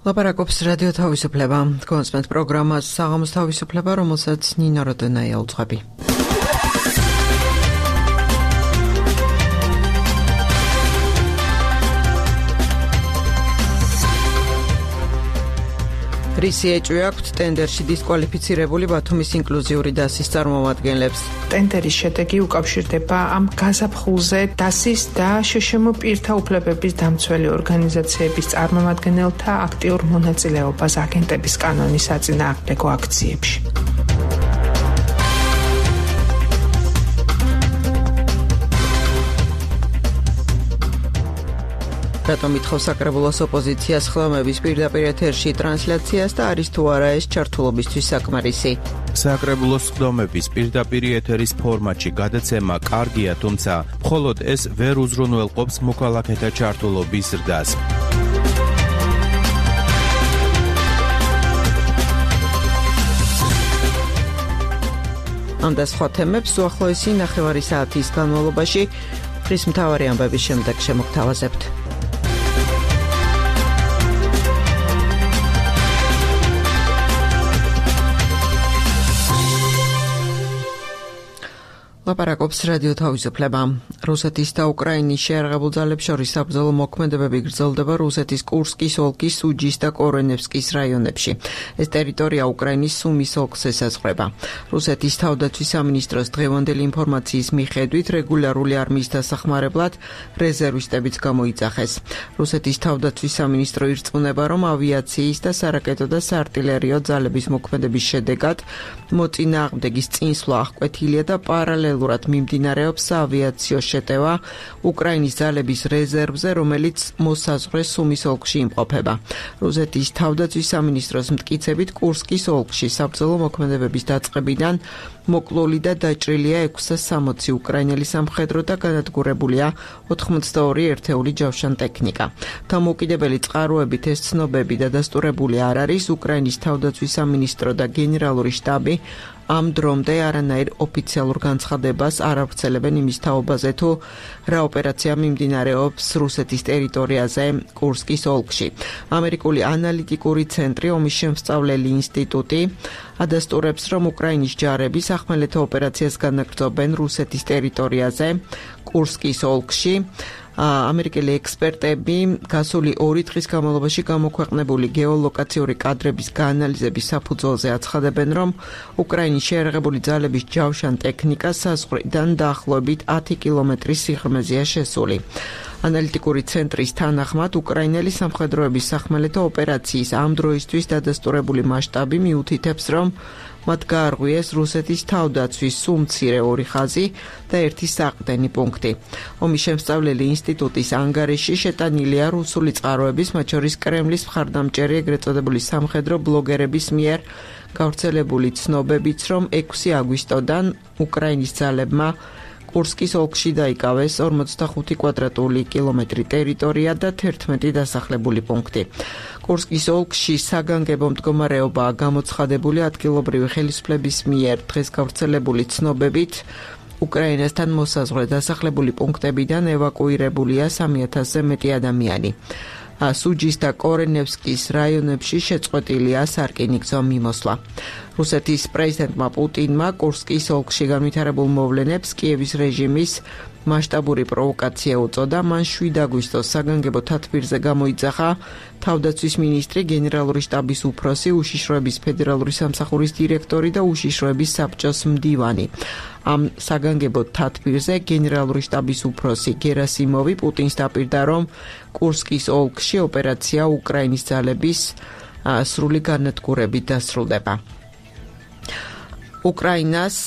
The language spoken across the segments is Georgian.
ლაპარაკობს რადიო თავისუფლება. კონსპენთ პროგრამას საღამოს თავისუფლება, რომელსაც ნინო როდონაია უძღვები. რისი ეჭვი აქვთ ტენდერში დისკვალიფიცირებული ბათუმის ინკლუზიური დასის წარმომადგენლებს. ტენდერის შედეგი უკავშირდება ამ გაზაფხულზე დასის და შშმ პირთა უფლებების დამცველი ორგანიზაციების წარმომადგენელთა აქტიურ მონაწილეობას აგენტების კანონის საწინააღმდეგო აქციებში. რატომ ითხოვს საკრებულოს ოპოზიციას ხდომების პირდაპირ ეთერში ტრანსლაციას და არის თუ არა ეს ჩართულობისთვის საკმარისი? საკრებულოს ხდომების პირდაპირ ეთერის ფორმატში გადაცემა კარგია, თუმცა მხოლოდ ეს ვერ უზრუნველყოფს მოქალაქეთა ჩართულობის ზრდას. ამ და სხვა თემებს უახლოესი ნახევარი საათის განმავლობაში დღის მთავარი ამბების შემდეგ შემოგთავაზებთ. ლაპარაკობს რადიო თავისუფლება. რუსეთის და უკრაინის შეიარაღებულ ძალებს შორის საბრძოლო მოქმედებები გრძელდება რუსეთის კურსკის ოლქის სუჯის და კორენევსკის რაიონებში. ეს ტერიტორია უკრაინის სუმის ოლქს ესაზღვრება. რუსეთის თავდაცვის სამინისტროს დღევანდელი ინფორმაციის მიხედვით რეგულარული არმიის დასახმარებლად რეზერვისტებიც გამოიძახეს. რუსეთის თავდაცვის სამინისტრო ირწმუნება, რომ ავიაციის და სარაკეტო და საარტილერიო ძალების მოქმედების შედეგად მოწინააღმდეგის წინსვლა აღკვეთილია და პარალელურად მიმდინარეობს საავიაციო შეტევა უკრაინის ძალების რეზერვზე, რომელიც მოსაზღვრე სუმის ოლქში იმყოფება. რუსეთის თავდაცვის სამინისტროს მტკიცებით კურსკის ოლქში საბრძოლო მოქმედებების დაწყებიდან მოკლული და დაჭრილია 660 უკრაინელი სამხედრო და განადგურებულია 82 ერთეული ჯავშან ტექნიკა. დამოუკიდებელი წყაროებით ეს ცნობები დადასტურებული არ არის. უკრაინის თავდაცვის სამინისტრო და გენერალური შტაბი ამ დრომდე არანაირ ოფიციალურ განცხადებას არ ავრცელებენ იმის თაობაზე, თუ რა ოპერაცია მიმდინარეობს რუსეთის ტერიტორიაზე კურსკის ოლქში. ამერიკული ანალიტიკური ცენტრი ომის შემსწავლელი ინსტიტუტი ადასტურებს, რომ უკრაინის ჯარები სახმელეთო ოპერაციას განაგრძობენ რუსეთის ტერიტორიაზე კურსკის ოლქში. ამერიკელი ექსპერტები გასული 2 დღის განმავლობაში გამოქვეყნებული გეოლოკაციური კადრების გაანალიზების საფუძველზე აცხადებენ, რომ უკრაინის შეიარაღებული ძალების ჯავშან ტექნიკა საზღვრიდან დაახლოებით 10 კილომეტრის სიღრმეზეა შესული. ანალიტიკური ცენტრის თანახმად უკრაინელი სამხედროების სახმელეთო ოპერაციის ამ დროისთვის დადასტურებული მასშტაბი მიუთითებს, რომ მათ გაარღვიეს რუსეთის თავდაცვის სუმცირე 2 ხაზი და 1 საყრდენი პუნქტი. ომის შემსწავლელი ინსტიტუტის ანგარიში შეტანილია რუსული წყაროების, მათ შორის კრემლის მხარდამჭერი ეგრეთ წოდებული სამხედრო ბლოგერების მიერ გავრცელებული ცნობებიც, რომ 6 აგვისტოდან უკრაინის ძალებმა კურსკის ოლქში დაიკავეს 45 კვადრატული კილომეტრი ტერიტორია და 11 დასახლებული პუნქტი. კურსკის ოლქში საგანგებო მდგომარეობაა გამოცხადებული ადგილობრივი ხელისუფლების მიერ დღეს გავრცელებული ცნობებით. უკრაინასთან მოსაზღვრე დასახლებული პუნქტებიდან ევაკუირებულია 3000-ზე მეტი ადამიანი. სუჯის და კორენევსკის რაიონებში შეწყვეტილია სარკინიგზო მიმოსვლა. რუსეთის პრეზიდენტმა პუტინმა კურსკის ოლქში განვითარებულ მოვლენებს კიევის რეჟიმის მასშტაბური პროვოკაცია უწოდა. მან 7 აგვისტოს საგანგებო თათბირზე გამოიძახა თავდაცვის მინისტრი, გენერალური შტაბის უფროსი, უშიშროების ფედერალური სამსახურის დირექტორი და უშიშროების საბჭოს მდივანი. ამ საგანგებო თათბირზე გენერალური შტაბის უფროსი გერასიმოვი პუტინს დაპირდა, რომ კურსკის ოლქში ოპერაცია უკრაინის ძალების სრული განადგურებით დასრულდება. უკრაინას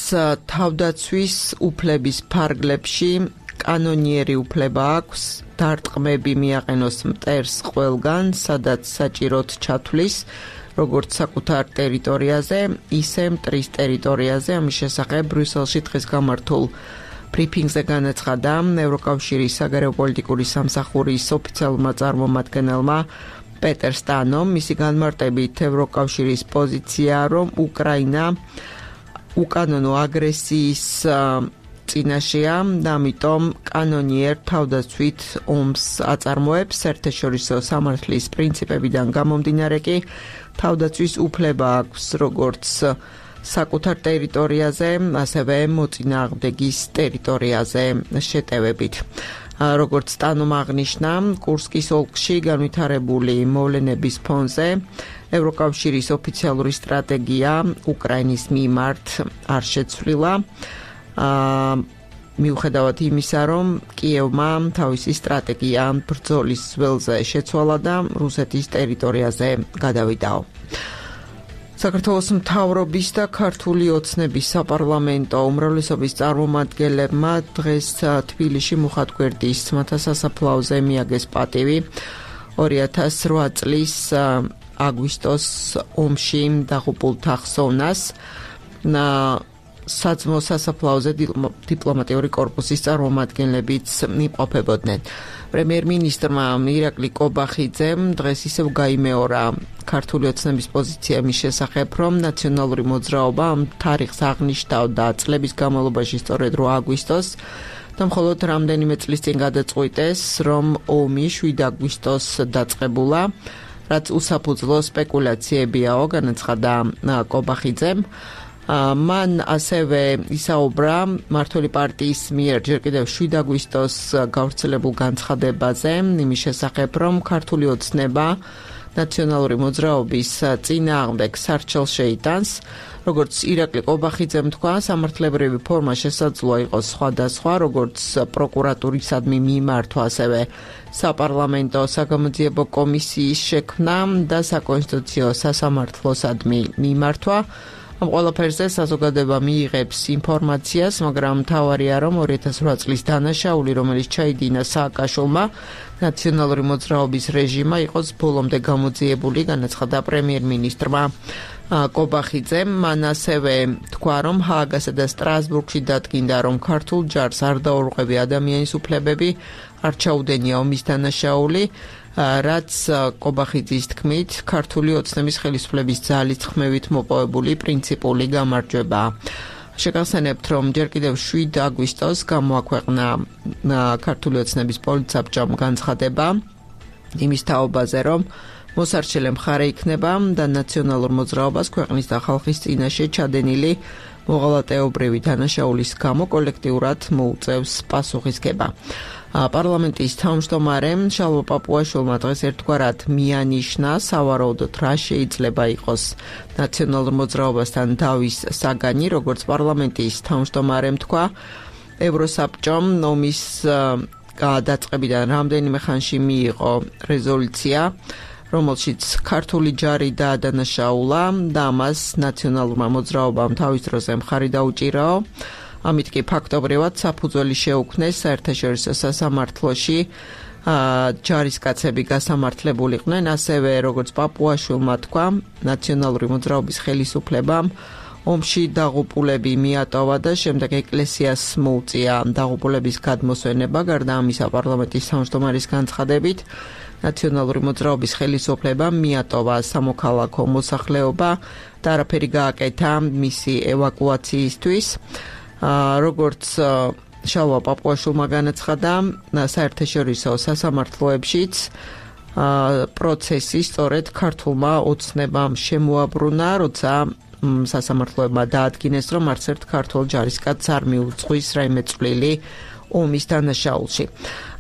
თავდაცვის უფლების ფარგლებში კანონიერი უფლება აქვს დარტყმები მიაყენოს მტერს ყველგან, სადაც საჭიროდ ჩათვლის, როგორც საკუთარ ტერიტორიაზე, ისე მტრის ტერიტორიაზე. ამის შესახებ ბრიუსელში დღეს გამართულ ბრიფინგზე განაცხადა ევროკავშირის საგარეო პოლიტიკური სამსახურის ოფიციალურმა წარმომადგენელმა პეტერ სტანომ. მისი განმარტებით ევროკავშირის პოზიცია, რომ უკრაინა უკანონო აგრესიის წინაშეა და ამიტომ კანონიერ თავდაცვით ომს აწარმოებს. საერთაშორისო სამართლის პრინციპებიდან გამომდინარე კი თავდაცვის უფლება აქვს როგორც საკუთარ ტერიტორიაზე, ასევე მოწინააღმდეგის ტერიტორიაზე შეტევებით. როგორც სტანომ აღნიშნა, კურსკის ოლქში განვითარებული მოვლენების ფონზე ევროკავშირის ოფიციალური სტრატეგია უკრაინის მიმართ არ შეცვლილა. მიუხედავად იმისა, რომ კიევმა თავისი სტრატეგია ბრძოლის ველზე შეცვალა და რუსეთის ტერიტორიაზე გადავიდაო. საქართველოს მთავრობის და ქართული ოცნების საპარლამენტო უმრავლესობის წარმომადგენლებმა დღეს თბილისში მუხათგვერდის ძმათა სასაფლაოზე მიაგეს პატივი 2008 წლის აგვისტოს ომში დაღუპულთა ხსოვნას. საძმო სასაფლაოზე დიპლომატიური კორპუსის წარმომადგენლებიც იმყოფებოდნენ. პრემიერ-მინისტრმა ირაკლი კობახიძემ დღეს ისევ გაიმეორა ქართული ოცნების პოზიცია მის შესახებ, რომ ნაციონალური მოძრაობა ამ თარიღს აღნიშნავდა წლების განმავლობაში სწორედ 8 აგვისტოს და მხოლოდ რამდენიმე წლის წინ გადაწყვიტეს, რომ ომი 7 აგვისტოს დაწყებულა, რაც უსაფუძვლო სპეკულაციებიაო, განაცხადა კობახიძემ. მან ასევე ისაუბრა მმართველი პარტიის მიერ ჯერ კიდევ 7 აგვისტოს გავრცელებულ განცხადებაზე, იმის შესახებ, რომ ქართული ოცნება ნაციონალური მოძრაობის წინააღმდეგ სარჩელს შეიტანს. როგორც ირაკლი კობახიძემ თქვა, სამართლებრივი ფორმა შესაძლოა იყოს სხვადასხვა, როგორც პროკურატურისადმი მიმართვა, ასევე საპარლამენტო საგამოძიებო კომისიის შექმნა და საკონსტიტუციო სასამართლოსადმი მიმართვა. ამ ყველაფერზე საზოგადოება მიიღებს ინფორმაციას, მაგრამ მთავარია, რომ 2008 წლის დანაშაული, რომელიც ჩაიდინა სააკაშვილმა, ნაციონალური მოძრაობის რეჟიმა იყოს ბოლომდე გამოძიებული, განაცხადა პრემიერ-მინისტრმა კობახიძემ. მან ასევე თქვა, რომ ჰააგასა და სტრასბურგში დადგინდა, რომ ქართულ ჯარს არ დაურღვევი ადამიანის უფლებები, არ ჩაუდენია ომის დანაშაული, რაც კობახიძის თქმით ქართული ოცნების ხელისუფლების ძალით ხმევით მოპოვებული პრინციპული გამარჯვებაა. შეგახსენებთ, რომ ჯერ კიდევ 7 აგვისტოს გამოაქვეყნა ქართული ოცნების პოლიტსაბჭომ განცხადება იმის თაობაზე, რომ მოსარჩელე მხარე იქნება და ნაციონალურ მოძრაობას ქვეყნის და ხალხის წინაშე ჩადენილი მოღალატეობრივი დანაშაულის გამო კოლექტიურად მოუწევს პასუხისგება. პარლამენტის თავმჯდომარემ შალვა პაპუაშვილმა დღეს ერთგვარად მიანიშნა, სავარაუდოდ რა შეიძლება იყოს ნაციონალურ მოძრაობასთან დავის საგანი, როგორც პარლამენტის თავმჯდომარემ თქვა, ევროსაბჭომ ომის გადაწყებიდან რამდენიმე ხანში მიიღო რეზოლუცია, რომელშიც ქართული ჯარი დაადანაშაულა და ამას ნაციონალურმა მოძრაობამ თავის დროზე მხარი დაუჭირაო. ამით კი ფაქტობრივად საფუძველი შეუქმნეს საერთაშორისო სასამართლოში ჯარისკაცები გასამართლებულიყვნენ, ასევე როგორც პაპუაშვილმა თქვა, ნაციონალური მოძრაობის ხელისუფლებამ ომში დაღუპულები მიატოვა და შემდეგ ეკლესიას მოუწია დაღუპულების გადმოსვენება. გარდა ამისა, პარლამენტის თავმჯდომარის განცხადებით, ნაციონალური მოძრაობის ხელისუფლებამ მიატოვა სამოქალაქო მოსახლეობა და არაფერი გააკეთა მისი ევაკუაციისთვის. როგორც შალვა პაპუაშვილმა განაცხადა, საერთაშორისო სასამართლოებშიც პროცესი სწორედ ქართულმა ოცნებამ შემოაბრუნა, როცა სასამართლოებმა დაადგინეს, რომ არც ერთ ქართულ ჯარისკაცს არ მიუძღვის რაიმე წვლილი ომის დანაშაულში.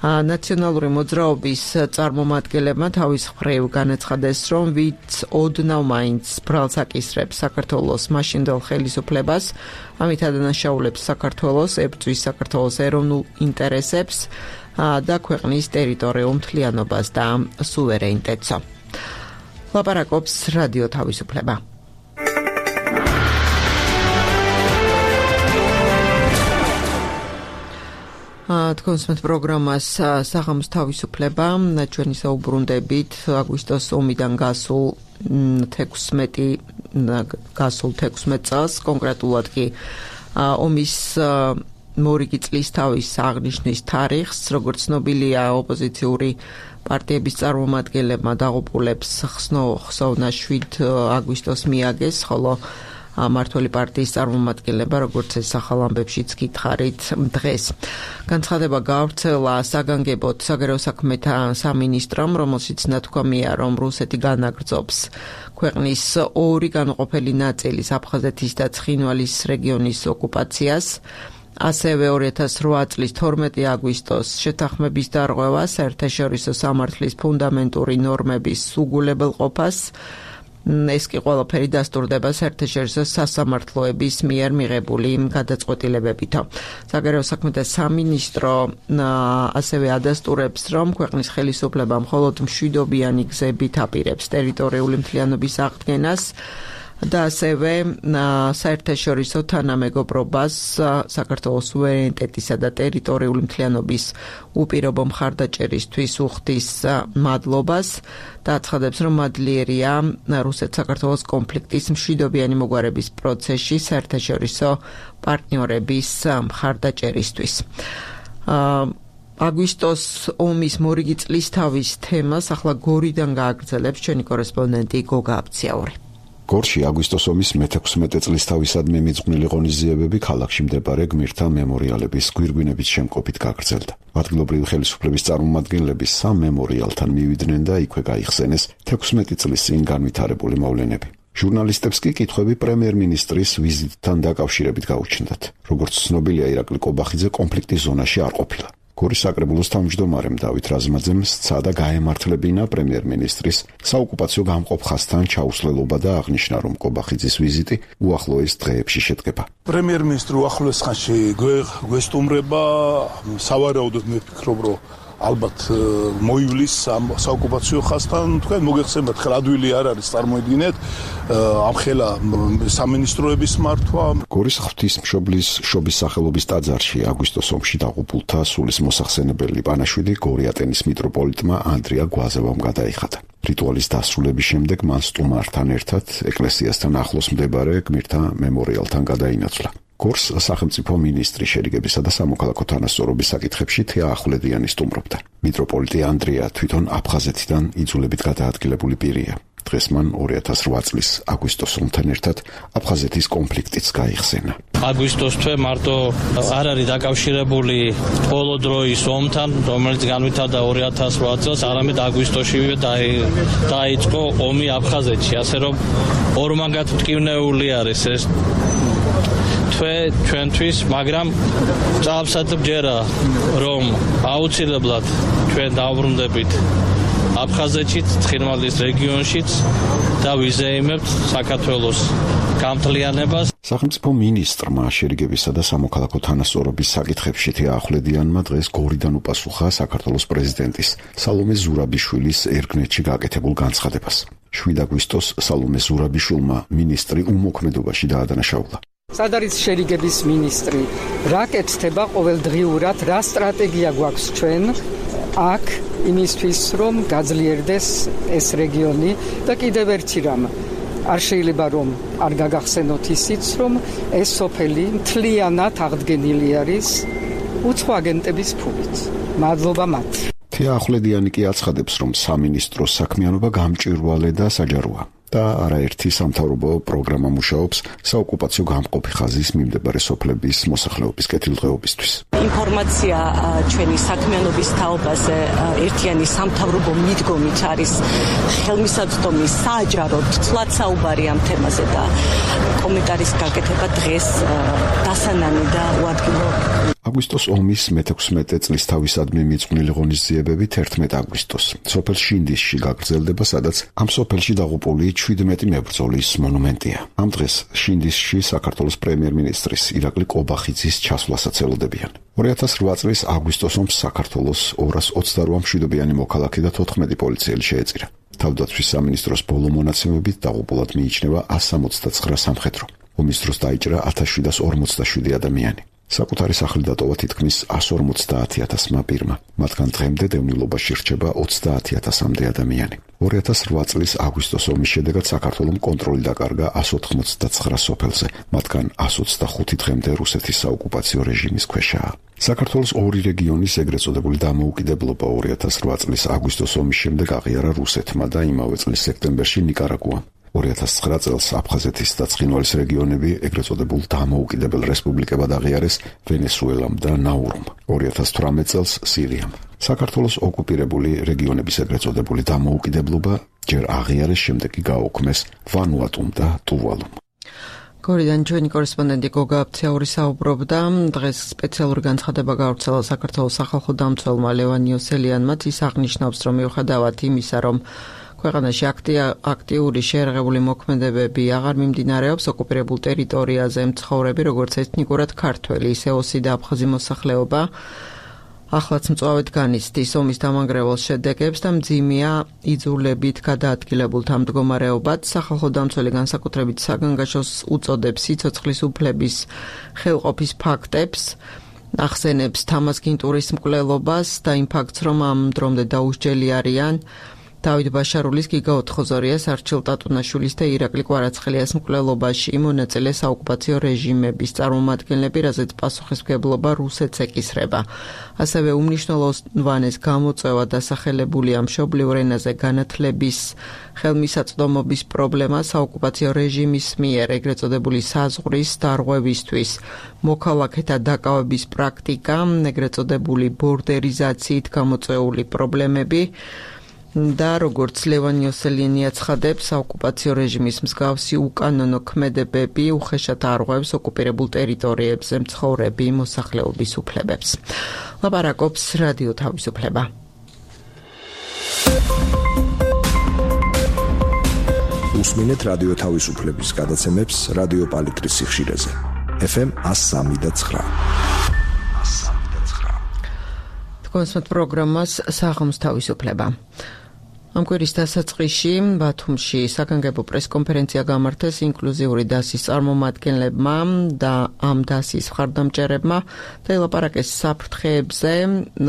ნაციონალური მოძრაობის წარმომადგენლებმა თავის მხრივ განაცხადეს, რომ ვინც ოდნავ მაინც ბრალს აკისრებს საქართველოს მაშინდელ ხელისუფლებას, ამით ადანაშაულებს საქართველოს, ებრძვის საქართველოს ეროვნულ ინტერესებს და ქვეყნის ტერიტორიულ მთლიანობას და სუვერენიტეტს. ლაპარაკობს რადიო თავისუფლება. თქვენს პროგრამას საღამოს თავისუფლება, ჩვენი საუბრუნდებით აგვისტოს ომიდან გასულ 16 წელს, კონკრეტულად კი ომის მორიგი წლის თავის აღნიშვნის თარიღს, როგორც ცნობილია, ოპოზიციური პარტიების წარმომადგენლებმა დაღუპულებს ხსოვნა 7 აგვისტოს მიაგეს, ხოლო მმართველი პარტიის წარმომადგენლება, როგორც ეს ახალ ამბებშიც გითხარით დღეს. განცხადება გავრცელა საგანგებოდ საგარეო საქმეთა სამინისტრომ, რომელშიც ნათქვამია, რომ რუსეთი განაგრძობს ქვეყნის ორი განუყოფელი ნაწილის აფხაზეთის და ცხინვალის რეგიონის ოკუპაციას. ასევე 2008 წლის 12 აგვისტოს შეთანხმების დარღვევა საერთაშორისო სამართლის ფუნდამენტური ნორმების უგულებელყოფას. ეს კი ყველაფერი დასტურდება საერთაშორისო სასამართლოების მიერ მიღებული გადაწყვეტილებებით. საგარეო საქმეთა სამინისტრო ასევე ადასტურებს, რომ ქვეყნის ხელისუფლება მხოლოდ მშვიდობიანი გზებით აპირებს ტერიტორიული მთლიანობის აღდგენას და ასევე საერთაშორისო თანამეგობრობას საქართველოს სუვერენიტეტისა და ტერიტორიული მთლიანობის უპირობო მხარდაჭერისთვის უხდის მადლობას და აცხადებს, რომ მადლიერია რუსეთ-საქართველოს კონფლიქტის მშვიდობიანი მოგვარების პროცესში საერთაშორისო პარტნიორების მხარდაჭერისთვის. აგვისტოს ომის მორიგი წლისთავის თემას ახლა გორიდან გააგრძელებს ჩვენი კორესპონდენტი გოგა აბციაური. გორში აგვისტოს ომის მე-16 წლისთავისადმი მიძღვნილი ღონისძიებები ქალაქში მდებარე გმირთა მემორიალების გვირგვინებით შემკობით გაგრძელდა. ადგილობრივი ხელისუფლების წარმომადგენლები სამ მემორიალთან მივიდნენ და იქვე გაიხსენეს 16 წლის წინ განვითარებული მოვლენები. ჟურნალისტებს კი კითხვები პრემიერ-მინისტრის ვიზიტთან დაკავშირებით გაუჩნდათ. როგორც ცნობილია, ირაკლი კობახიძე კონფლიქტის ზონაში არ ყოფილა. გორის საკრებულოს თავმჯდომარემ დავით რაზმაძემ სცადა გაემართლებინა პრემიერ-მინისტრის საოკუპაციო გამყოფ ხაზთან ჩაუსვლელობა და აღნიშნა, რომ კობახიძის ვიზიტი უახლოეს დღეებში შედგება. პრემიერ-მინისტრი უახლოეს ხანში გვესტუმრება, სავარაუდოდ მე ვფიქრობ, რომ ალბათ მოივლის ამ საოკუპაციო ხაზთან. თქვენ მოგეხსენებათ, ხელ ადვილი არ არის, წარმოიდგინეთ, ამხელა სამინისტროების მართვა. გორის ღვთისმშობლის შობის სახელობის ტაძარში აგვისტოს ომში დაღუპულთა სულის მოსახსენებელი პანაშვიდი გორიატენის მიტროპოლიტმა ანდრია გვაზევამ გადაიხადა. რიტუალის დასრულების შემდეგ მან სტუმართან ერთად ეკლესიასთან ახლოს მდებარე გმირთა მემორიალთან გადაინაცვლა. გორს სახელმწიფო მინისტრი შერიგებისა და სამოქალაქო თანასწორობის საკითხებში თეა ახვლედიანი სტუმრობდა. მიტროპოლიტი ანდრია თვითონ აფხაზეთიდან იძულებით გადაადგილებული პირია. დღეს მან 2008 წლის აგვისტოს ომთან ერთად აფხაზეთის კონფლიქტიც გაიხსენა. აგვისტოს თვე მარტო არ არის დაკავშირებული ბოლო დროის ომთან, რომელიც განვითარდა 2008 წელს, არამედ აგვისტოშივე დაიწყო ომი აფხაზეთში, ასე რომ ორმაგად მტკივნეული არის ეს ჩვენთვის, მაგრამ წავსად ბჯერა, რომ აუცილებლად ჩვენ დავბრუნდებით აფხაზეთშიც, ცხინვალის რეგიონშიც და ვიზეიმებთ საქართველოს გამთლიანებას. სახელმწიფო მინისტრმა შერიგებისა და სამოქალაქო თანასწორობის საკითხებში თეა ახვლედიანმა დღეს გორიდან უპასუხა საქართველოს პრეზიდენტის სალომე ზურაბიშვილის ერგნეთში გაკეთებულ განცხადებას. 7 აგვისტოს სალომე ზურაბიშვილმა მინისტრი უმოქმედობაში დაადანაშაულა. სად არის შერიგების მინისტრი? რა კეთდება ყოველდღიურად, რა სტრატეგია გვაქვს ჩვენ აქ იმისთვის, რომ გაძლიერდეს ეს რეგიონი და კიდევ ერთი რამ. არ შეიძლება რომ არ გაგახსენოთ ისიც, რომ ეს სოფელი მთლიანად აღდგენილი არის უცხო აგენტების ფულით. მადლობა მათ. თეა ახვლედიანი კი აცხადებს, რომ სამინისტროს საქმიანობა გამჭვირვალე და საჯაროა. და არაერთი სამთავრობო პროგრამა მუშაობს საოკუპაციო გამყოფი ხაზის მიმდებარე სოფლების მოსახლეობის კეთილდღეობისთვის. ინფორმაცია ჩვენი საქმიანობის თაობაზე ერთიანი სამთავრობო მიდგომით არის ხელმისაწვდომი საჯაროდ თლად საუბარი ამ თემაზე და კომენტარის გაკეთება დღეს დასანანი და უადგილო. აგვისტოს ომის მე-16 წლისთავისადმი მიძღვნილი ღონისძიებები 11 აგვისტოს სოფელ შინდისში გაგრძელდება, სადაც ამ სოფელში დაღუპული 17 მებრძოლის მონუმენტია. ამ დღეს შინდისში საქართველოს პრემიერ-მინისტრის ირაკლი კობახიძის ჩასვლასაც ელოდებიან. 2008 წლის აგვისტოს ომს საქართველოს 228 მშვიდობიანი მოქალაქე და 14 პოლიციელი შეეწირა. თავდაცვის სამინისტროს ბოლო მონაცემებით დაღუპულად მიიჩნევა 169 სამხედრო. ომის დროს დაიჭრა 1747 ადამიანი. საკუთარი სახლი დატოვა თითქმის 150,000-მა პირმა. მათგან დღემდე დევნილობაში რჩება 30,000-მდე ადამიანი. 2008 წლის აგვისტოს ომის შედეგად საქართველომ კონტროლი დაკარგა 189 სოფელზე, მათგან 125 დღემდე რუსეთის საოკუპაციო რეჟიმის ქვეშაა. საქართველოს ორი რეგიონის ეგრეთ წოდებული დამოუკიდებლობა 2008 წლის აგვისტოს ომის შემდეგ აღიარა რუსეთმა და იმავე წლის სექტემბერში ნიკარაგუამ. 2009 წელს აფხაზეთის და ცხინვალის რეგიონები ეგრეთ წოდებულ დამოუკიდებელ რესპუბლიკებად აღიარეს ვენესუელამ და ნაურუმ. 2018 წელს სირიამ. საქართველოს ოკუპირებული რეგიონების ეგრეთ წოდებული დამოუკიდებლობა ჯერ აღიარეს, შემდეგ კი გააუქმეს ვანუატუმ და ტუვალუმ. გორიდან ჩვენი კორესპონდენტი გოგა აფცეური საუბრობდა. დღეს სპეციალური განცხადება გავრცელა საქართველოს სახალხო დამცველმა ლევან იოსელიანმა. ის აღნიშნავს, რომ მიუხედავად იმისა, რომ ქვეყანაში აქტიური შეერაღებული მოქმედებები აღარ მიმდინარეობს, ოკუპირებულ ტერიტორიაზე მცხოვრები, როგორც ეთნიკურად ქართველი, ისე ოსი და აფხაზი მოსახლეობა ახლაც მწვავედ განიცდის ომის დამანგრეველ შედეგებს და მძიმეა იძულებით გადაადგილებულთა მდგომარეობად. სახალხო დამცველი განსაკუთრებით საგანგაშოს უწოდებს სიცოცხლის უფლების ხელყოფის ფაქტებს, ახსენებს თამაზგინტურის მკვლელობას და იმ ფაქტს, რომ ამ დრომდე დაუსჯელი არიან დავით ბაშარულის, გიგა ოთხოზორიას, არჩილ ტატუნაშვილის და ირაკლი კვარაცხელიას მკვლელობაში მონაწილე საოკუპაციო რეჟიმების წარმომადგენლები, რაზეც პასუხისმგებლობა რუსეთს ეკისრება. ასევე უმნიშვნელოვანეს გამოწვევა დასახელებულია მშობლიურ ენაზე განათლების ხელმისაწვდომობის პრობლემა საოკუპაციო რეჟიმის მიერ ეგრეთ წოდებული საზღვრის დარღვევისთვის, მოქალაქეთა დაკავების პრაქტიკა, ეგრეთ წოდებული ბორდერიზაციით გამოწვეული პრობლემები და როგორც ლევან იოსელიანი აცხადებს, საოკუპაციო რეჟიმის მსგავსი უკანონო ქმედებები უხეშად არღვევს ოკუპირებულ ტერიტორიებზე მცხოვრები მოსახლეობის უფლებებს. ლაპარაკობს რადიო თავისუფლება. უსმინეთ რადიო თავისუფლების გადაცემებს რადიო პალიტრის სიხშირეზე. FM 103.9. თქვენს პროგრამას საღამოს თავისუფლება. ამ კვირის დასაწყისში ბათუმში საგანგებო პრესკონფერენცია გამართეს ინკლუზიური დასის წარმომადგენლებმა და ამ დასის მხარდამჭერებმა და ელაპარაკეს საფრთხეებზე,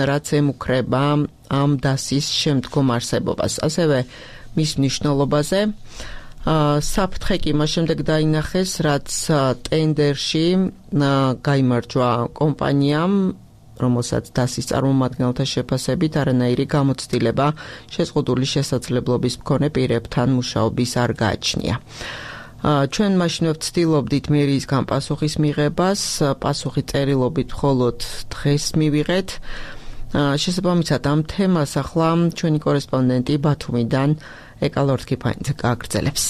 რაც ემუქრება ამ დასის შემდგომ არსებობას, ასევე მის მნიშვნელობაზე. საფრთხე კი მას შემდეგ დაინახეს, რაც ტენდერში გაიმარჯვა კომპანიამ, რომელსაც დასის წარმომადგენელთა შეფასებით არანაირი გამოცდილება შეზღუდული შესაძლებლობის მქონე პირებთან მუშაობის არ გააჩნია. ჩვენ მაშინვე ვცდილობდით მერიისგან პასუხის მიღებას, პასუხი წერილობით მხოლოდ დღეს მივიღეთ. შესაბამისად ამ თემას ახლა ჩვენი კორესპონდენტი ბათუმიდან ეკალორთკიფანიძე გააგრძელებს.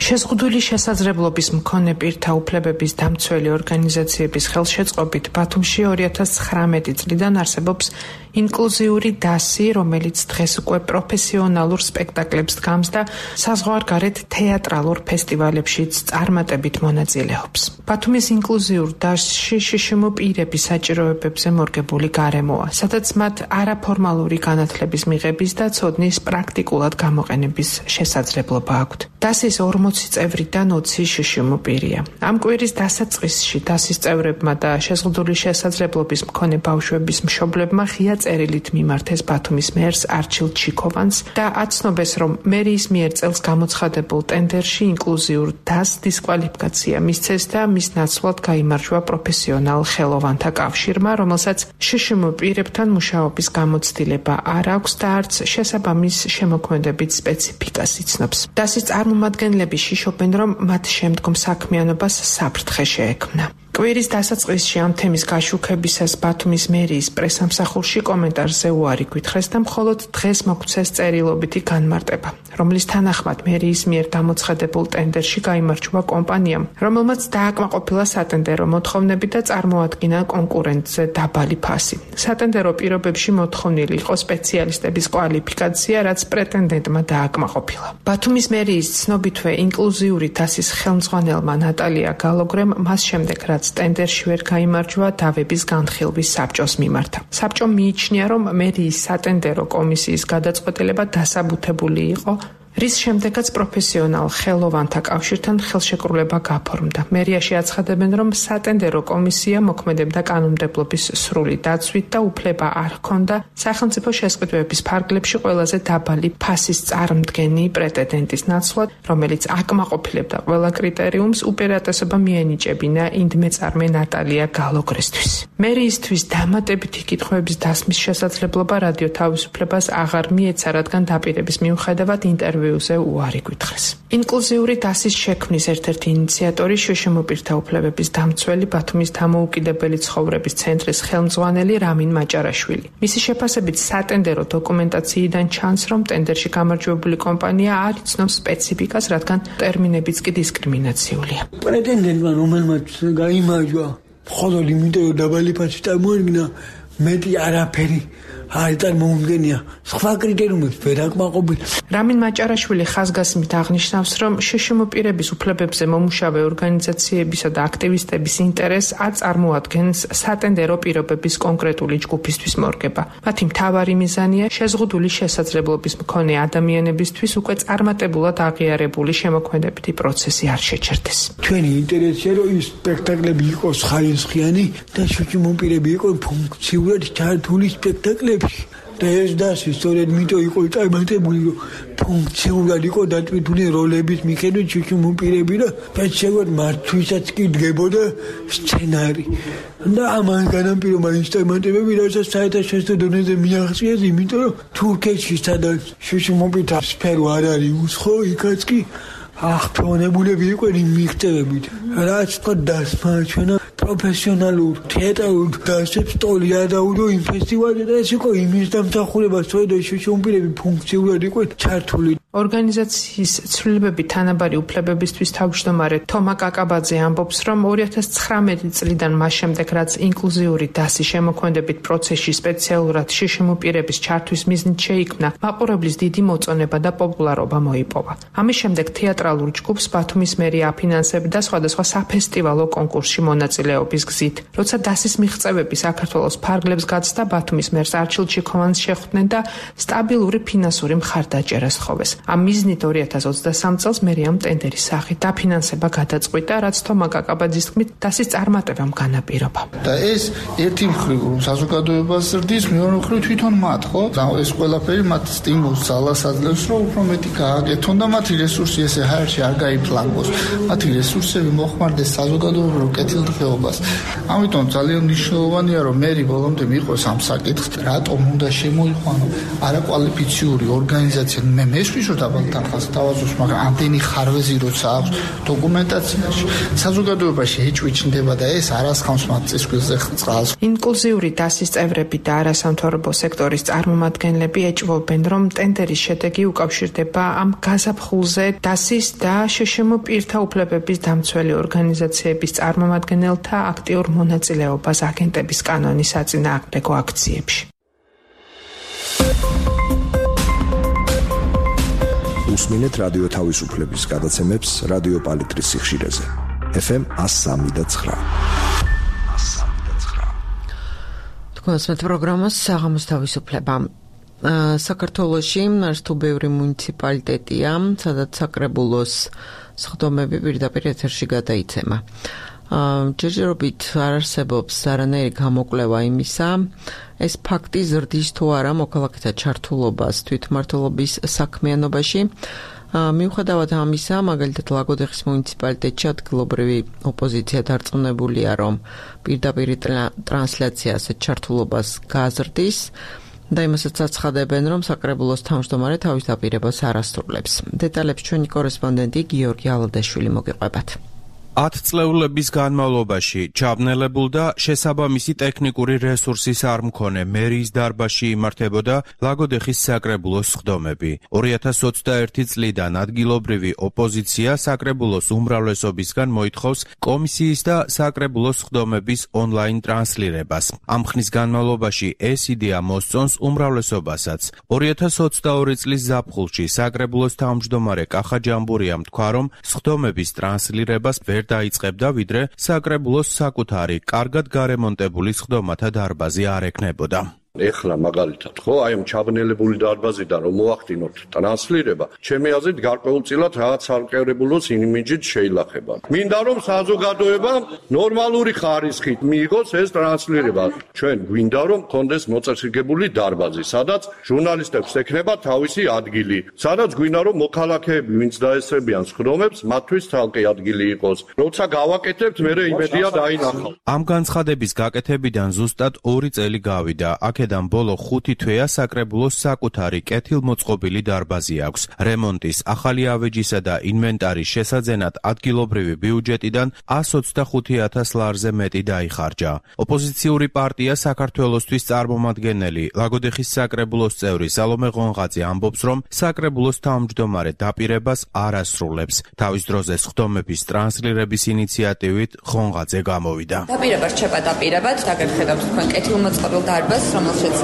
შეზღუდული შესაძლებლობის მქონე პირთა უფლებების დამცველი ორგანიზაციების ხელშეწყობით ბათუმში 2019 წლიდან არსებობს ინკლუზიური დასი, რომელიც დღეს უკვე პროფესიონალურ სპექტაკლებს დგამს და საზღვარგარეთ თეატრალურ ფესტივალებშიც წარმატებით მონაწილეობს. ბათუმის ინკლუზიურ დასში შშმ პირების საჭიროებებზე მორგებული გარემოა, სადაც მათ არაფორმალური განათლების მიღების და ცოდნის პრაქტიკულად გამოყენების შესაძლებლობა აქვთ. დასის 40 წევრიდან 20 შშმ პირია. ამ კვირის დასაწყისში დასის წევრებმა და შეზღუდული შესაძლებლობის მქონე ბავშვების მშობლებმა ღია წერილით მიმართეს ბათუმის მერს არჩილ ჩიქოვანს და აცნობეს, რომ მერიის მიერ წელს გამოცხადებულ ტენდერში ინკლუზიურ დასს დისკვალიფიკაცია მისცეს და მის ნაცვლად გაიმარჯვა პროფესიონალ ხელოვანთა კავშირმა, რომელსაც შშმ პირებთან მუშაობის გამოცდილება არ აქვს და არც შესაბამის შემოქმედებით სპეციფიკას იცნობს. დასის წარმომადგენლები შიშობენ, რომ მათ შემდგომ საქმიანობას საფრთხე შეექმნა. კვირის დასაწყისში ამ თემის გაშუქებისას ბათუმის მერიის პრესამსახურში კომენტარზე უარი გვითხრეს და მხოლოდ დღეს მოგვცეს წერილობითი განმარტება, რომლის თანახმად მერიის მიერ გამოცხადებულ ტენდერში გაიმარჯვა კომპანიამ, რომელმაც დააკმაყოფილა სატენდერო მოთხოვნები და წარმოადგინა კონკურენტზე დაბალი ფასი. სატენდერო პირობებში მოთხოვნილი იყო სპეციალისტების კვალიფიკაცია, რაც პრეტენდენტმა დააკმაყოფილა. ბათუმის მერიის ცნობითვე ინკლუზიური დასის ხელმძღვანელმა ნატალია გალოგრემ მას შემდეგ ტენდერში ვერ გაიმარჯვა დავების განხილვის საბჭოს მიმართა. საბჭომ მიიჩნია, რომ მერიის სატენდერო კომისიის გადაწყვეტილება დასაბუთებული იყო, რის შემდეგაც პროფესიონალ ხელოვანთა კავშირთან ხელშეკრულება გაფორმდა. მერიაში აცხადებენ, რომ სატენდერო კომისია მოქმედებდა კანონმდებლობის სრული დაცვით და უფლება არ ჰქონდა სახელმწიფო შესყიდვების ფარგლებში ყველაზე დაბალი ფასის წარმდგენი პრეტენდენტის ნაცვლად, რომელიც აკმაყოფილებდა ყველა კრიტერიუმს, უპირატესობა მიენიჭებინა ინდმეწარმე ნატალია გალოგრესთვის. მერიისთვის დამატებითი კითხვების დასმის შესაძლებლობა რადიო თავისუფლებას აღარ მიეცა, რადგან დაპირების მიუხედავად ინტერვიუ ინტერვიუზე უარი გითხრეს. ინკლუზიური დასის შექმნის ერთ-ერთი ინიციატორი შშმ პირთა უფლებების დამცველი ბათუმის დამოუკიდებელი ცხოვრების ცენტრის ხელმძღვანელი რამინ მაჭარაშვილი. მისი შეფასებით სატენდერო დოკუმენტაციიდან ჩანს, რომ ტენდერში გამარჯვებული კომპანია არ იცნობს სპეციფიკას, რადგან ტერმინებიც კი დისკრიმინაციულია. პრეტენდენტმა რომელმაც გაიმარჯვა, მხოლოდ იმიტომ რომ დაბალი ფასი წარმოადგინა, მეტი არაფერი არ წარმოუდგენია, სხვა კრიტერიუმებს ვერ აკმაყოფილებს. რამინ მაჭარაშვილი ხაზგასმით აღნიშნავს, რომ შშმ პირების უფლებებზე მომუშავე ორგანიზაციებისა და აქტივისტების ინტერესს არ წარმოადგენს სატენდერო პირობების კონკრეტული ჯგუფისთვის მორგება. მათი მთავარი მიზანია შეზღუდული შესაძლებლობის მქონე ადამიანებისთვის უკვე წარმატებულად აღიარებული შემოქმედებითი პროცესი არ შეჩერდეს. ჩვენი ინტერესია, რომ ის სპექტაკლები იყოს ხარისხიანი და შშმ პირები იყოს ფუნქციურად ჩართული სპექტაკლები. და ეს დასი სწორედ მითო იყო წარმატებული, რომ ფუნქციურად იყო დატვირთული როლების მიხედვით შშმ პირები და პეჩევად მართვისაც კი დგებოდა სცენარი. და ამან განაპირობა ის წარმატებები, რასაც საერთაშორისო დონეზე მიაღწიეს, იმიტომ რომ თურქეთში სადაც შშმ პირთა სფერო არ არის უცხო, იქაც კი აღფრთოვანებულები იყვნენ მიღწევებით. რაც თქო დასმაჩვენა პროფესიონალურ თეატრალურ დასებს ტოლი არ დაუდო იმ ფესტივალზე და ეს იყო იმის დამსახურება, სწორედ შშმ პირები ფუნქციურად იყვნენ ჩართული. ორგანიზაციის ცვლილებები თანაბარი უფლებებისთვის თავმჯდომარე თომა კაკაბაძე ამბობს, რომ 2019 წლიდან მას შემდეგ, რაც ინკლუზიური დასი შემოქმედებით პროცესში სპეციალურად შშმ პირების ჩართვის მიზნით შეიქმნა, მაყურებლის დიდი მოწონება და პოპულარობა მოიპოვა. ამის შემდეგ თეატრალურ ჯგუფს ბათუმის მერია აფინანსებდა სხვადასხვა საფესტივალო კონკურსში მონაწილეობის გზით. როცა დასის მიღწევები საქართველოს ფარგლებს გაცდა, ბათუმის მერს არჩილ ჩიქოვანს შეხვდნენ და სტაბილური ფინანსური მხარდაჭერა სთხოვეს. ამ მიზნით 2023 წელს მერიამ ტენდერის სახით დაფინანსება გადაწყვიტა, რაც თომა კაკაბაძის თქმით დასის წარმატებამ განაპირობა. და ეს ერთი მხრივ საზოგადოებას ზრდის, მეორე მხრივ თვითონ მათ, ხო? ეს ყველაფერი მათ სტიმულს ძალას აძლევს, რომ უფრო მეტი გააკეთონ და მათი რესურსი ესე ჰაერში არ გაიფლანგოს. მათი რესურსები მოხმარდეს საზოგადოებრივ კეთილდღეობას. ამიტომ ძალიან მნიშვნელოვანია, რომ მერი ბოლომდე მიყვეს ამ საკითხს, რატომ უნდა შემოიყვანო არაკვალიფიციური ორგანიზაცია. მე მესვი რომ დაბალ თანხას თავაზობს, მაგრამ ამდენი ხარვეზი როცა აქვს დოკუმენტაციაში, საზოგადოებაში ეჭვიჩნდება და ეს არასხამს მათ წისქვილზე წყალს. ინკლუზიური დასის წევრები და არასამთავრობო სექტორის წარმომადგენლები ეჭვობენ, რომ ტენდერის შედეგი უკავშირდება ამ გაზაფხულზე დასის და შშმ პირთა უფლებების დამცველი ორგანიზაციების წარმომადგენელთა აქტიურ მონაწილეობას აგენტების კანონის საწინააღმდეგო აქციებში. უსმინეთ რადიო თავისუფლების გადაცემებს რადიო პალიტრის სიხშირეზე. FM 103.9. თქვენს პროგრამას საღამოს თავისუფლება. საქართველოში თუ ბევრი მუნიციპალიტეტია, სადაც საკრებულოს სხდომები პირდაპირ ეთერში გადაიცემა. ჯერჯერობით არ არსებობს არანაირი გამოკვლევა იმისა, ეს ფაქტი ზრდის თუ არა მოქალაქეთა ჩართულობას თვითმმართველობის საქმიანობაში. მიუხედავად ამისა, მაგალითად ლაგოდეხის მუნიციპალიტეტში ადგილობრივი ოპოზიცია დარწმუნებულია, რომ პირდაპირ ტრანსლაცია ასეთ ჩართულობას გაზრდის და იმასაც აცხადებენ, რომ საკრებულოს თავმჯდომარე თავის დაპირებას არ ასრულებს. დეტალებს ჩვენი კორესპონდენტი გიორგი ალადაშვილი მოგიყვებათ. 10 წლეულების განმავლობაში ჩაბნელებულ და შესაბამისი ტექნიკური რესურსის არ მქონე მერიის დარბაზში იმართებოდა ლაგოდეხის საკრებულოს სხდომები. 2021 წლიდან ადგილობრივი ოპოზიცია საკრებულოს უმრავლესობისგან მოითხოვს კომისიის და საკრებულოს სხდომების ონლაინ ტრანსლირებას. ამ ხნის განმავლობაში ეს იდეა მოსწონს უმრავლესობასაც. 2022 წლის ზაფხულში საკრებულოს თავმჯდომარე კახა ჯამბურიამ თქვა, რომ სხდომების ტრანსლირებას დაიწყებდა, ვიდრე საკრებულოს საკუთარი, კარგად გარემონტებული სხდომათა დარბაზი არ ექნებოდა. ეხლა მაგალითად, ხო, აი ამ ჩაბნელებული დარბაზიდან რომ მოახდინოთ ტრანსლირება, ჩემი აზრით გარკვეულწილად რაღაც არკევებულოს იმიჯით შეილახება. მინდა რომ საზოგადოებამ ნორმალური ხარისხით მიიღოს ეს ტრანსლირება. ჩვენ გვინდა რომ კონდეს მოწესრიგებული დარბაზი, სადაც ჟურნალისტებს ექნება თავისი ადგილი, სადაც გვინდა რომ მოქალაქეები, ვინც დაესწრებიან სხდომებს, მათთვის თალკი ადგილი იყოს. როცა გავაკეთებთ, მე იმედია დაინახავ. ამ განცხადების გაკეთებიდან ზუსტად 2 წელი გავიდა. აქედან ბოლო 5 თვეა საკრებულოს საკუთარი კეთილმოწყობილი დარბაზი აქვს. რემონტის, ახალი ავეჯისა და ინვენტარის შესაძენად ადგილობრივი ბიუჯეტიდან 125,000 ლარზე მეტი დაიხარჯა. ოპოზიციური პარტია საქართველოსთვის წარმომადგენელი ლაგოდეხის საკრებულოს წევრი სალომე ღონღაძე ამბობს, რომ საკრებულოს თავმჯდომარე დაპირებას არ ასრულებს. თავის დროზე სხდომების ტრანსლირების ინიციატივით ღონღაძე გამოვიდა. დაპირება რჩება დაპირებად, დაგერხედავთ თქვენ კეთილმოწყობილ დარბაზს, რომელშიც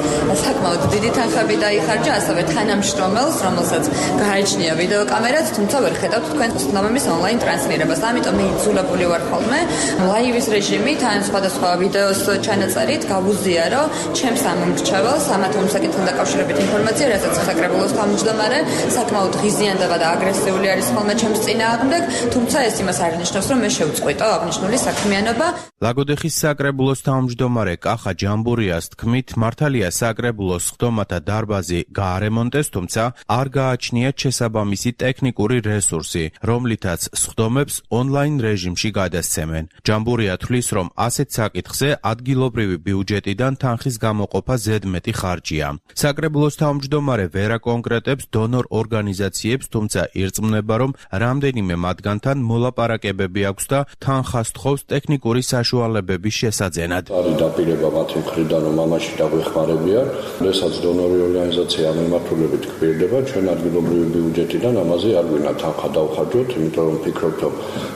საკმაოდ დიდი თანხები დაიხარჯა, ასევე თანამშრომელს, რომელსაც გააჩნია ვიდეოკამერაც, თუმცა ვერ ხედავთ თქვენ სხდომების ონლაინ ტრანსლირებას. ამიტომ მე იძულებული ვარ ხოლმე ლაივის რეჟიმით, ან სხვადასხვა ვიდეოს ჩანაწერით გავუზიარო ჩემს ამომრჩეველს ამ საკითხთან დაკავშირებით ინფორმაცია, რასაც საკრებულოს თავმჯდომარე საკმაოდ ღიზიანდება და აგრესიული არის ხოლმე ჩემს წინააღმდეგ, თუმცა ეს იმას არ ნიშნავს, რომ მე შევწყვიტო აღნიშნული საქმიანობა. ლაგოდეხის საკრებულოს თავმჯდომარე კახა ჯამბურიას თქმით, მართალია საკრებულოს სხდომათა დარბაზი გაარემონტეს, თუმცა არ გააჩნიათ შესაბამისი ტექნიკური რესურსი, რომლითაც სხდომებს ონლაინ რეჟიმში გადასცემენ. ჯამბურია თვლის, რომ ასეთ საკითხზე ადგილობრივი ბიუჯეტიდან თანხის გამოყოფა ზედმეტი ხარჯია. საკრებულოს თავმჯდომარე ვერ აკონკრეტებს დონორ ორგანიზაციებს, თუმცა ირწმუნება, რომ რამდენიმე მათგანთან მოლაპარაკებები აქვს და თანხა სთხოვს ტექნიკური საშუალებების შესაძენად. არის დაპირება მათი მხრიდან, რომ ამაში დაგვეხმარებიან, როდესაც დონორი ორგანიზაცია ამ მიმართულებით გვპირდება, ჩვენ ადგილობრივი ბიუჯეტიდან ამაზე არ გვინდა თანხა დავხარჯოთ, იმიტომ რომ ვფიქრობთ, რომ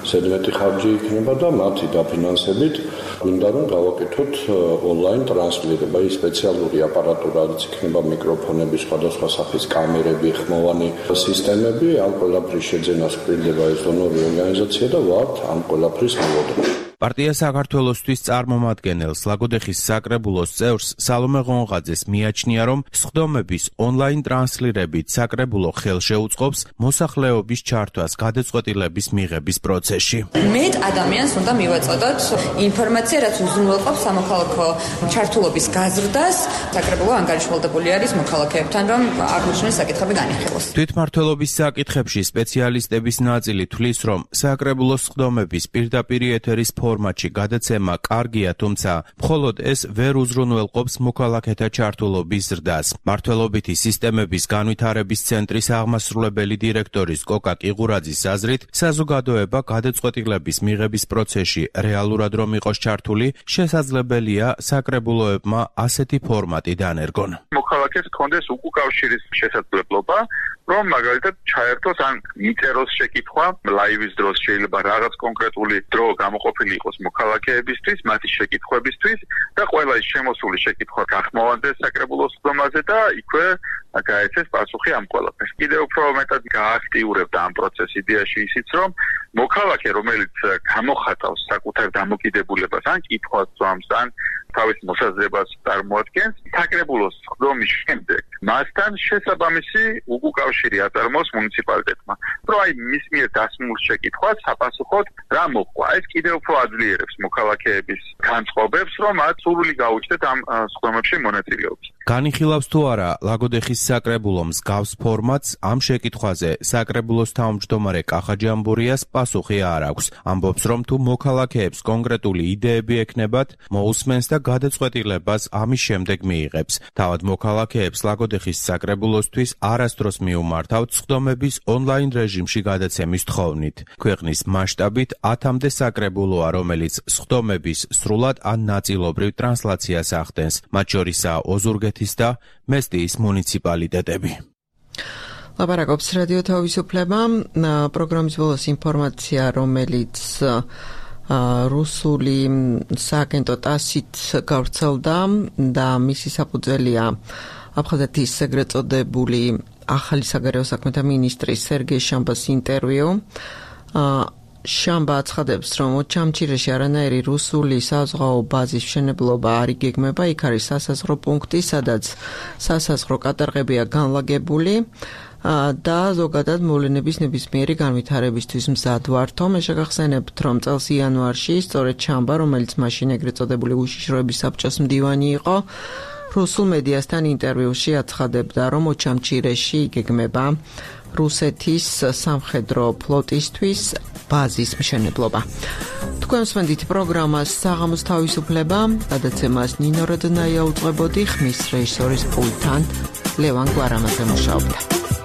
ზედმეტი ხარჯი იქნება და მათი დაფინანსებით გვინდა რომ გავაკეთოთ ონლაინ ტრანსლირება, ის სპეციალური აპარატურა, რაც იქნება მიკროფონები, სხვადასხვა სახის კამერები, ხმოვანი სისტემები, ამ ყველაფრის შეძენას გვპირდება ეს დონორი ორგანიზაცია და ვართ ამ ყველაფრის მოლოდინში. პარტია საქართველოსთვის წარმომადგენელს ლაგოდეხის საკრებულოს წევრს სალომე ღონღაძეს მიაჩნია, რომ სხდომების ონლაინ ტრანსლირებით საკრებულო ხელშეუწყობს მოსახლეობის ჩართვას გადაწყვეტილების მიღების პროცესში. მეტ ადამიანს უნდა მივაწოდოთ ინფორმაცია, რაც უზრუნველყოფს სამოქალაქო ჩართულობის გაზრდას. საკრებულო ანგარიშვალდებული არის მოქალაქეებთან, რომ აღნიშნული საკითხები განიხილოს. თვითმმართველობის საკითხებში სპეციალისტების ნაწილი თვლის, რომ საკრებულოს სხდომების პირდაპირ ეთერის ფორმატში გადაცემა კარგია, თუმცა მხოლოდ ეს ვერ უზრუნველყოფს მოქალაქეთა ჩართულობის ზრდას. მმართველობითი სისტემების განვითარების ცენტრის აღმასრულებელი დირექტორის კოკა კიღურაძის აზრით, საზოგადოება გადაწყვეტილების მიღების პროცესში რეალურად რომ იყოს ჩართული, შესაძლებელია საკრებულოებმა ასეთი ფორმატი დანერგონ. მოქალაქეს ჰქონდეს უკავშირის შესაძლებლობა, რომ მაგალითად ჩაერთოს ან მიწეროს შეკითხვა ლაივის დროს, შეიძლება რაღაც კონკრეტული დრო გამოყოფილი იყოს მოქალაქეებისთვის, მათი შეკითხვებისთვის და ყველა ის შემოსული შეკითხვა გახმოვანდეს საკრებულოს სხდომაზე და იქვე გაეცეს პასუხი ამ ყველაფერს. კიდევ უფრო მეტად გააქტიურებდა ამ პროცესს იდეაში ისიც, რომ მოქალაქე, რომელიც გამოხატავს საკუთარ დამოკიდებულებას ან კითხვას ძვამს ან თავის მოსაზრებას წარმოადგენს, საკრებულოს სხდომის შემდეგ მასთან შესაბამისი უკავშირი აწარმოოს მუნიციპალიტეტმა. რომ აი მის მიერ დასმულ შეკითხვას საპასუხოდ რა მოყვა. ეს კიდევ უფრო აძლიერებს მოქალაქეების განწყობებს, რომ მათ სურვილი გაუჩნდეთ ამ სხდომებში მონაწილეობის. განიხილავს თუ არა ლაგოდეხის საკრებულო მსგავს ფორმატს, ამ შეკითხვაზე საკრებულოს თავმჯდომარე კახა ჯამბურიას პასუხი არ აქვს. ამბობს, რომ თუ მოქალაქეებს კონკრეტული იდეები ექნებათ, მოусმენს და გადაწყვეტილებას ამის შემდეგ მიიღებს. თავად მოქალაქეებს ლაგოდეხის საკრებულოსთვის არასდროს მიუმართავთ სხდომების ონლაინ რეჟიმში გადაცემის თხოვნით. ქვეყნის მასშტაბით 10-მდე საკრებულოა, რომელიც სხდომების სრულად ან ნაწილობრივ ტრანსლაციას ახდენს, მათ შორისაა ოზურგეთის და მესტიის მუნიციპალიტეტები. ლაპარაკობს რადიო თავისუფლება, პროგრამის ბოლოს ინფორმაცია, რომელიც რუსული სააგენტო ტასით გავრცელდა და მისი საფუძველია აფხაზეთის ეგრეთ წოდებული ახალი საგარეო საქმეთა მინისტრის სერგეი შამბას ინტერვიუ. შამბა აცხადებს, რომ ოჩამჩირეში არანაირი რუსული საზღვაო ბაზის მშენებლობა არ იგეგმება, იქ არის სასაზღვრო პუნქტი, სადაც სასაზღვრო კატარღებია განლაგებული და ზოგადად მოვლენების ნებისმიერი განვითარებისთვის მზად ვართო. მე შეგახსენებთ, რომ წელს იანვარში სწორედ შამბა, რომელიც მაშინ ეგრეთ წოდებული უშიშროების საბჭოს მდივანი იყო, რუსულ მედიასთან ინტერვიუში აცხადებდა, რომ ოჩამჩირეში იგეგმება რუსეთის სამხედრო ფლოტისთვის ბაზის მშენებლობა. თქვენ მსმენთ პროგრამას საღამოს თავისუფლება, გადაცემას ნინო როდნაია უძღვებოდი, ხმის რეჟისორის პულტთან ლევან გვარამაძე მუშაობდა.